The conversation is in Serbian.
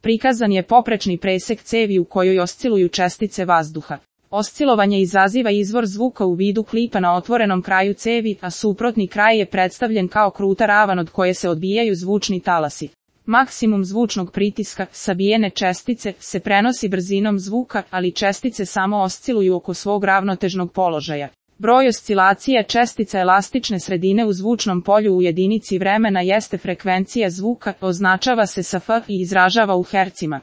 Prikazan je poprečni presek cevi u kojoj osciluju čestice vazduha. Oscilovanje izaziva izvor zvuka u vidu klipa na otvorenom kraju cevi, a suprotni kraj je predstavljen kao kruta ravan od koje se odbijaju zvučni talasi. Maksimum zvučnog pritiska, sabijene čestice, se prenosi brzinom zvuka, ali čestice samo osciluju oko svog ravnotežnog položaja. Broj oscilacija čestica elastične sredine u zvučnom polju u jedinici vremena jeste frekvencija zvuka, označava se sa F i izražava u hercima.